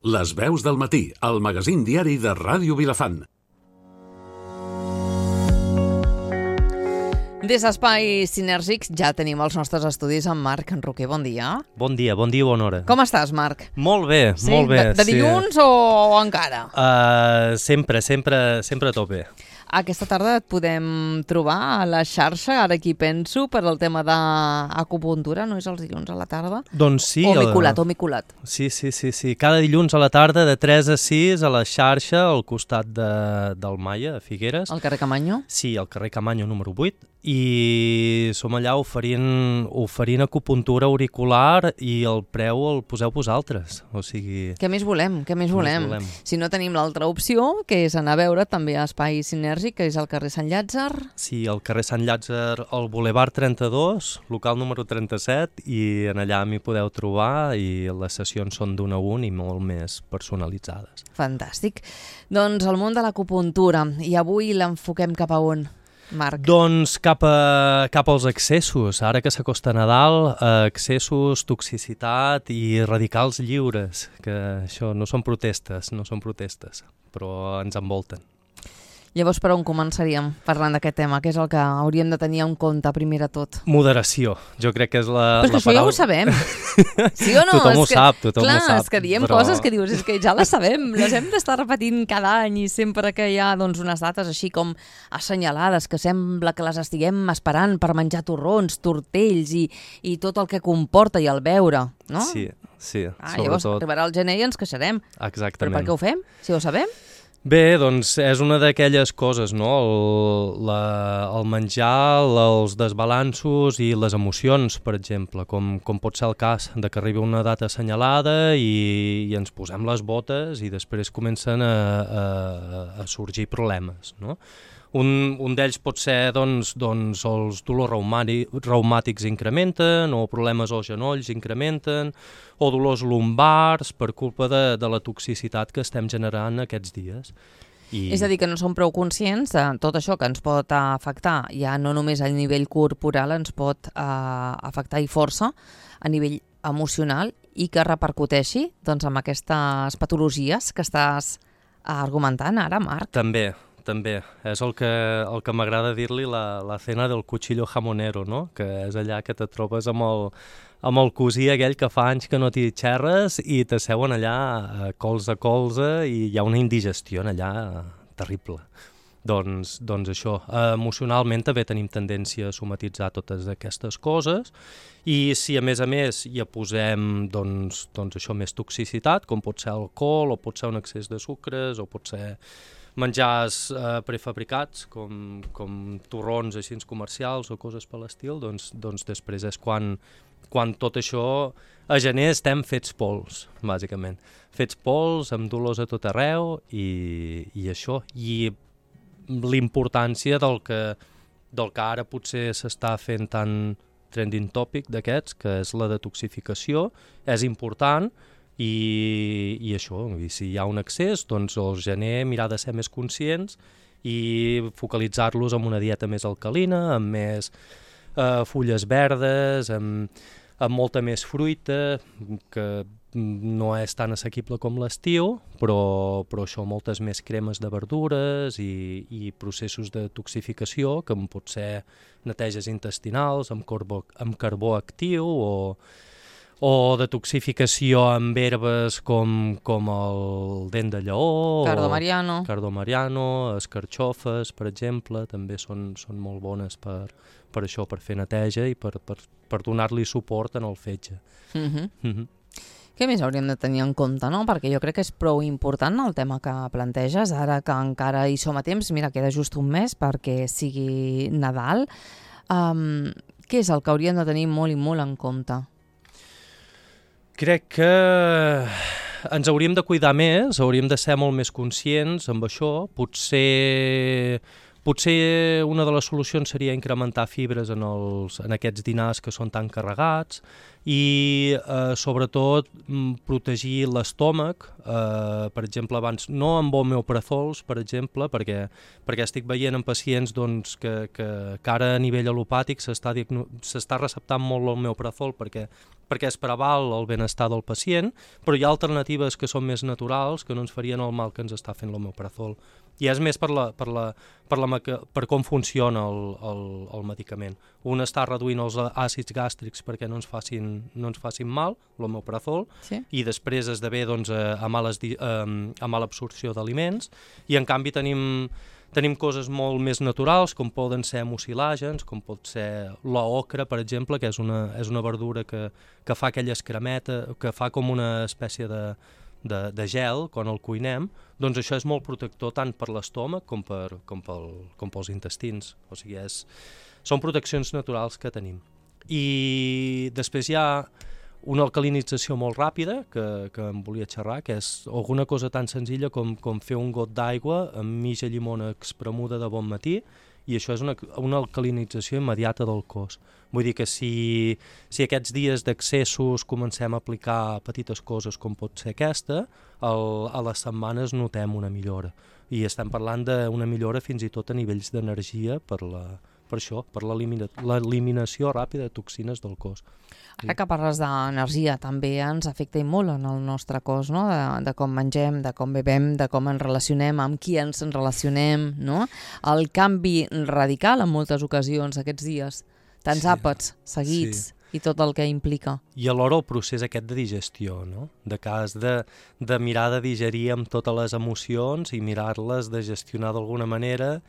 Les veus del matí, el magazín diari de Ràdio Vilafant. Des d'Espais Sinèrgics ja tenim els nostres estudis amb Marc Roquer. Bon dia. Bon dia, bona hora. Com estàs, Marc? Molt bé, Sí? molt bé. De dilluns o encara? Sempre tot bé. Aquesta tarda et podem trobar a la xarxa, ara aquí penso, per al tema d'acupuntura, no és els dilluns a la tarda? Doncs sí. O m'he colat. Sí. Cada dilluns a la tarda de 3 a 6 a la xarxa, al costat del Maia, a Figueres. Al carrer Camanyo? Sí, al carrer Camanyo número 8. I som allà oferint acupuntura auricular i el preu el poseu vosaltres. O sigui... Què més volem? Si no tenim l'altra opció, que és anar a veure també a Espai Sinèrgic, que és al carrer Sant Llàtzer. Sí, al carrer Sant Llàtzer, al Boulevard 32, local número 37, i en allà m'hi podeu trobar i les sessions són d'un a un i molt més personalitzades. Fantàstic. Doncs el món de l'acupuntura, i avui l'enfoquem cap a on, Marc? Doncs cap als excessos. Ara que s'acosta Nadal, excessos, toxicitat i radicals lliures, que això no són protestes, però ens envolten. Llavors, per on començaríem parlant d'aquest tema? Què és el que hauríem de tenir en compte primer de tot? Moderació. Jo crec que és la Però és que això paraula... ja ho sabem. Sí o no? Tothom ho sap. Clar, és que diem coses que dius, és que ja les sabem, les hem d'estar repetint cada any i sempre que hi ha unes dates així com assenyalades, que sembla que les estiguem esperant per menjar torrons, tortells i tot el que comporta i el beure, no? Sí, sobretot. Llavors arribarà el gener i ens queixarem. Exactament. Però per què ho fem, si ho sabem? Bé, doncs és una d'aquelles coses, no? El menjar, els desbalanços i les emocions, per exemple, com pot ser el cas de que arribi una data assenyalada i ens posem les botes i després comencen a sorgir problemes, no? Un d'ells pot ser doncs, els dolors reumàtics incrementen o problemes als genolls incrementen o dolors lumbars per culpa de la toxicitat que estem generant aquests dies. És a dir, que no som prou conscients de tot això que ens pot afectar, ja no només a nivell corporal, ens pot afectar i força a nivell emocional i que repercuteixi doncs, amb aquestes patologies que estàs argumentant ara, Marc. També. És el que m'agrada dir-li la cena del cuchillo jamonero, no? Que és allà que te trobes amb el cosí aquell que fa anys que no t'hi xerres i t'asseuen allà colze a colze i hi ha una indigestió allà terrible. Doncs això, emocionalment també tenim tendència a somatitzar totes aquestes coses i si a més hi posem doncs això més toxicitat, com pot ser alcohol o pot ser un excés de sucres o pot ser menjars prefabricats com torrons així comercials o coses per l'estil, doncs després és quan tot això a gener estem fets pols, bàsicament. Fets pols, amb dolors a tot arreu i això. I l'importància del que ara potser s'està fent tan trending topic d'aquests, que és la detoxificació, és important. I això, si hi ha un excés, doncs al gener mirar de ser més conscients i focalitzar-los en una dieta més alcalina, amb més fulles verdes, amb molta més fruita, que no és tan assequible com l'estiu, però això, moltes més cremes de verdures i processos de toxificació, que pot ser neteges intestinals amb carbó actiu o detoxificació amb herbes com el dent de lleó, cardo mariano, escarxofes, per exemple, també són molt bones per això, per fer neteja i per donar-li suport en el fetge. Què més hauríem de tenir en compte, no? Perquè jo crec que és prou important el tema que planteges, ara que encara hi som a temps, mira, queda just un mes perquè sigui Nadal. Què és el que hauríem de tenir molt i molt en compte? Crec que ens hauríem de cuidar més, hauríem de ser molt més conscients amb això. Potser una de les solucions seria incrementar fibres en aquests dinars que són tan carregats i sobretot protegir l'estómac, per exemple, abans no amb homeoprazols, per exemple, perquè estic veient en pacients doncs, que ara a nivell alopàtic s'està receptant molt l'homeoprazol perquè es preval el benestar del pacient, però hi ha alternatives que són més naturals, que no ens farien el mal que ens està fent l'homeoprazol. I és més per com funciona el medicament. Un està reduint els àcids gàstrics perquè no ens facin mal, l'homeoprazol, sí. I després esdevé doncs, a mala absorció d'aliments, i en canvi tenim coses molt més naturals, com poden ser mucilàgens, com pot ser l'ocra, per exemple, que és una verdura que fa aquella escremeta, que fa com una espècie de gel quan el cuinem, doncs això és molt protector tant per l'estómac com pels intestins. O sigui, són proteccions naturals que tenim. I després hi ha una alcalinització molt ràpida que em volia xerrar, que és alguna cosa tan senzilla com fer un got d'aigua amb mitja llimona espremuda de bon matí, i això és una alcalinització immediata del cos. Vull dir que si aquests dies d'accessos comencem a aplicar petites coses com pot ser aquesta, a les setmanes notem una millora. I estem parlant d'una millora fins i tot a nivells d'energia per l'eliminació ràpida de toxines del cos. Ara que parles d'energia, també ens afecta i molt en el nostre cos, no? De com mengem, de com bevem, de com ens relacionem, amb qui ens relacionem, no? El canvi radical en moltes ocasions aquests dies, tants àpats seguits i tot el que implica. I alhora el procés aquest de digestió, no? De cas de mirar de digerir amb totes les emocions i mirar-les de gestionar d'alguna manera,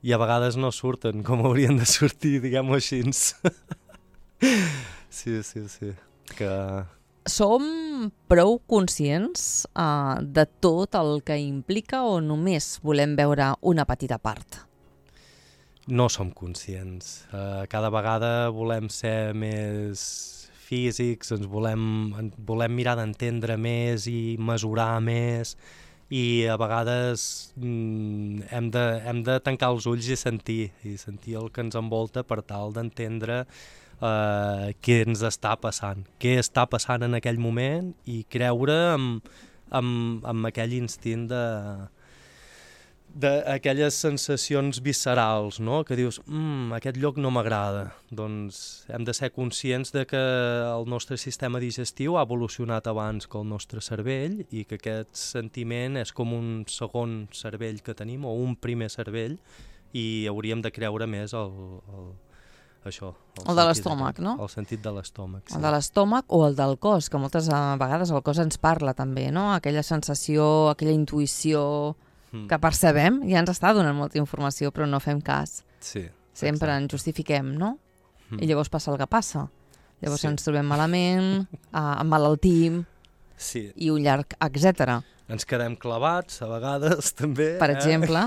i a vegades no surten com haurien de sortir, diguem-ho així. Sí. Som prou conscients de tot el que implica o només volem veure una petita part? No som conscients. Cada vegada volem ser més físics, ens volem mirar d'entendre més i mesurar més, i a vegades hem de tancar els ulls i sentir el que ens envolta per tal d'entendre què ens està passant, què està passant en aquell moment, i creure amb aquell instint d'aquelles sensacions viscerals, no? Que dius, aquest lloc no m'agrada. Doncs hem de ser conscients de que el nostre sistema digestiu ha evolucionat abans que el nostre cervell, i que aquest sentiment és com un segon cervell que tenim, o un primer cervell, i hauríem de creure més això. El de l'estómac, no? El sentit de l'estómac, sí. El de l'estómac o el del cos, que moltes vegades el cos ens parla també, no? Aquella sensació, aquella intuïció que percebem, ja ens està donant molta informació, però no fem cas. Sí. Sempre ens justifiquem, no? I llavors passa el que passa. Llavors ens trobem malament, emmalaltim, i un llarg etcètera. Ens quedem clavats, a vegades, també. Per exemple.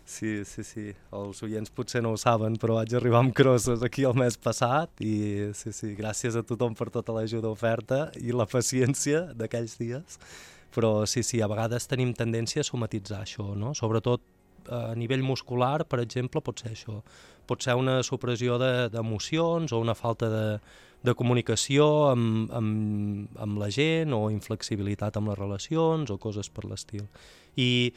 Sí. Els oients potser no ho saben, però vaig arribar amb crosses aquí el mes passat, i gràcies a tothom per tota l'ajuda oferta i la paciència d'aquells dies. Però sí, a vegades tenim tendència a somatitzar això, no? Sobretot a nivell muscular, per exemple, pot ser això. Pot ser una supressió d'emocions o una falta de comunicació amb la gent, o inflexibilitat amb les relacions, o coses per l'estil. I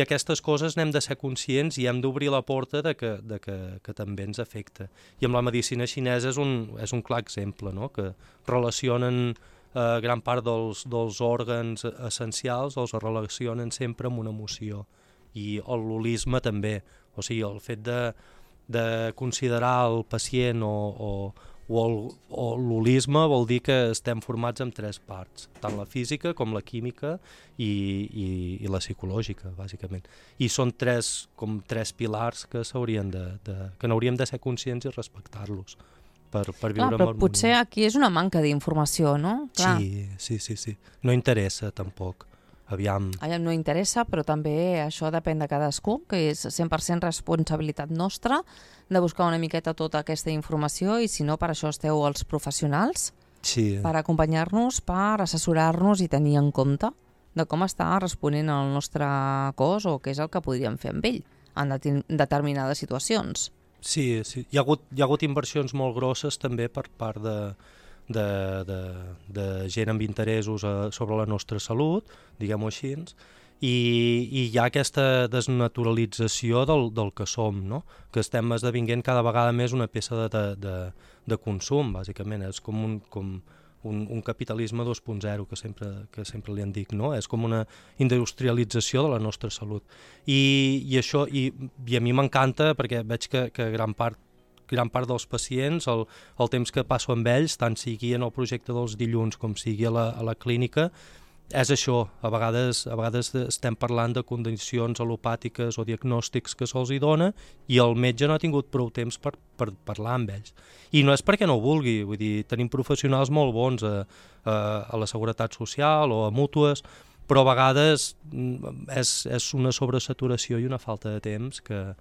aquestes coses n'hem de ser conscients i hem d'obrir la porta de que també ens afecta. I amb la medicina xinesa és un clar exemple, no? Que relacionen gran part dels òrgans essencials, els relacionen sempre amb una emoció. I l'holisme també. O sigui, el fet de considerar el pacient o l'holisme vol dir que estem formats en 3 parts, tant la física com la química i la psicològica, bàsicament. I són 3 pilars que n'hauríem de ser conscients i respectar-los per viure amb harmonia. Potser aquí és una manca d'informació, no? Clar. Sí. No interessa, tampoc. Aviam, no interessa, però també això depèn de cadascú, que és 100% responsabilitat nostra de buscar una miqueta tota aquesta informació, i si no, per això esteu els professionals, per acompanyar-nos, per assessorar-nos i tenir en compte de com està responent el nostre cos o què és el que podríem fer amb ell en determinades situacions. Sí. Hi ha hagut inversions molt grosses també per part de gent amb interessos sobre la nostra salut, diguem-ho així, i hi ha aquesta desnaturalització del que som, no? Que estem esdevinguent cada vegada més una peça de consum, bàsicament. És com un capitalisme 2.0 que sempre li en dic, no? És com una industrialització de la nostra salut. I això, i a mi m'encanta perquè veig que gran part dels pacients, el temps que passo amb ells, tant sigui en el projecte dels dilluns com sigui a la clínica, és això. A vegades estem parlant de condicions al·lopàtiques o diagnòstics que se'ls hi dona i el metge no ha tingut prou temps per parlar amb ells. I no és perquè no ho vulgui, vull dir, tenim professionals molt bons a la Seguretat Social o a mútues, però a vegades és una sobresaturació i una falta de temps que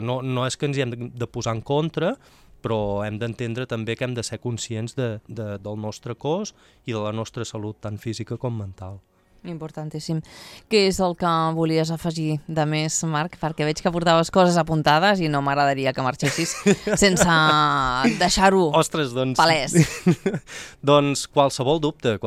no és que ens hi hem de posar en contra, però hem d'entendre també que hem de ser conscients del nostre cos i de la nostra salut tant física com mental. Importantíssim. Què és el que volies afegir de més, Marc? Perquè veig que portaves coses apuntades i no m'agradaria que marxessis sense deixar-ho palès. Doncs qualsevol dubte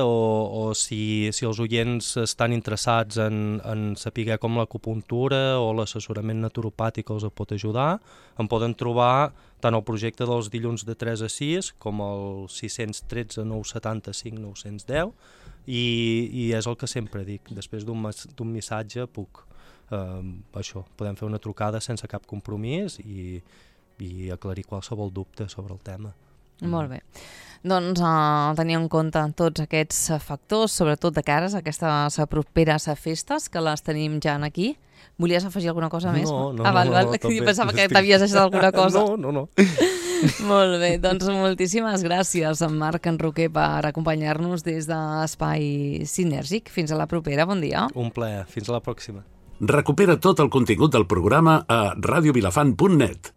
o si els oients estan interessats en saber com l'acupuntura o l'assessorament naturopàtic els pot ajudar, em poden trobar tant el projecte dels dilluns de 3 a 6 com el 613 975 910 i és el que sempre dic, després d'un missatge podem fer una trucada sense cap compromís i aclarir qualsevol dubte sobre el tema. Molt bé. Doncs tenir en compte tots aquests factors, sobretot de cares a aquestes properes festes, que les tenim ja aquí. Volies afegir alguna cosa més? No. Jo pensava que t'havies deixat alguna cosa. No. Molt bé, doncs moltíssimes gràcies, en Marc Enroquer, per acompanyar-nos des d'Espai Sinèrgic. Fins a la propera, bon dia. Un plaer, fins a la pròxima. Recupera tot el contingut del programa a radiovilafant.net.